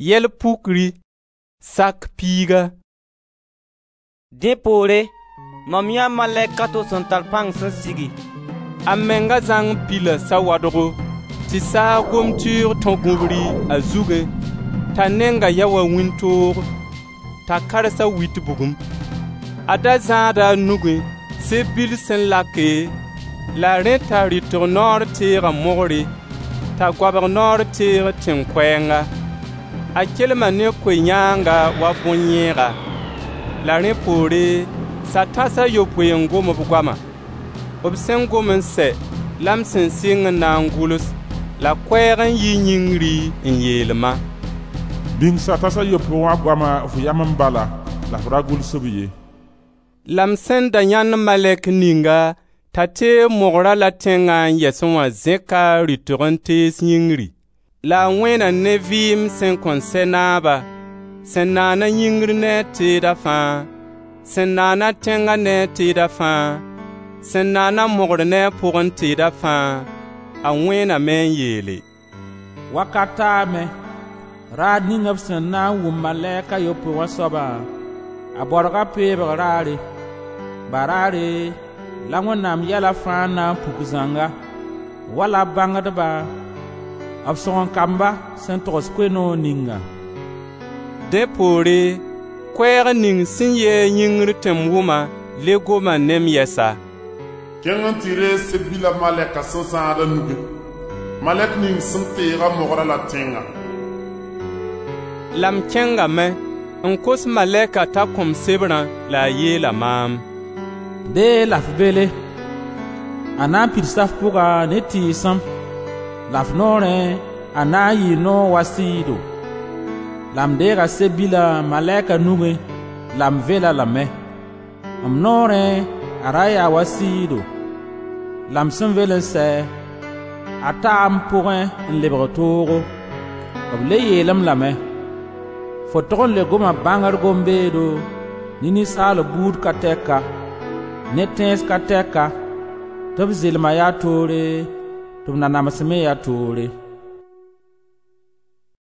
Yɛl pukri, sak piiga. Dẽ poore, mam yãee malɛk a to sẽn tar pãng sẽn sigi. A menga zãng pila sawadgo tɩ saag gom-tɩʋʋg tõ gũbri a zugẽ t'a nenga ya wa wĩntoog, t'a karsa wit bugum. A da zãada a nugẽ seb-bil sẽn lake, la rẽ t'a rɩtg noor teega mogre, t'a goabg noor teeg tẽn-koɛɛnga. A kelma ne ko-yãanga wa bõn-yẽega. La rẽ poore, sa-tãs a yopoe n gom b goama. B sẽn gom n sɛ la m sẽn sɩng n na n gʋls, la koɛɛg n yi yĩngri n yeel-ma: «Bĩng sa-tãs a yopoe wã goama f yamẽ bala, la f ra gʋls-b ye.» La m sẽn da yãend malɛk ninga t'a teeg mogra la tẽngã n yɛsẽ wã zẽka a rɩtg n tees yĩngri. La a wẽena ne vɩɩm sẽn kõn sɛ naaba, sẽn naana yĩngr ne a teeda fãa, sẽn naana tẽnga ne a teeda fãa, sẽn naana mogr ne a pʋgẽ teeda fãa, a wẽename n yeele: «Wakat taame. Raar ning b sẽn na n wʋm malɛk a yopoe wã soabã, a baorga peebg raare. Baraare la Wẽnnaam yɛla fãa na n puk zãnga, wala bãngdba, b sõgen-kamba sẽn togs Koe-noog ningã.» Dẽ poore, koɛɛg ning sẽn yɩ-a yĩngr tɩ m wʋma le goma ne-m yɛsa: «Kẽng n tɩ reeg seb-bila malɛka sẽn zãad a nugẽ, malɛk ning sẽn peeg-a mogrã la tẽngã.» La m kẽngame n kos malɛka t'a kõ-m sebrã la a yeela maam: «Deeg la f bele. A na n pidsa f pʋga ne tɩɩsem, la f noorẽ a na n yɩɩ noog wa sɩɩdo.» La m deega seb-bilã malɛka nugẽ la m vel-a lame. M noorẽ a ra yaa wa sɩɩdo, la m sẽn vel n sɛ, a taa m pʋgẽ n lebg toogo. B le yeel-m lame: «Fo tog n le goma bãngr gom-beedo ne ninsaalb buud ka tɛka, ne tẽns ka tɛka, tɩ b zɩlma yaa toore, tɩ b nanams me ya toore.»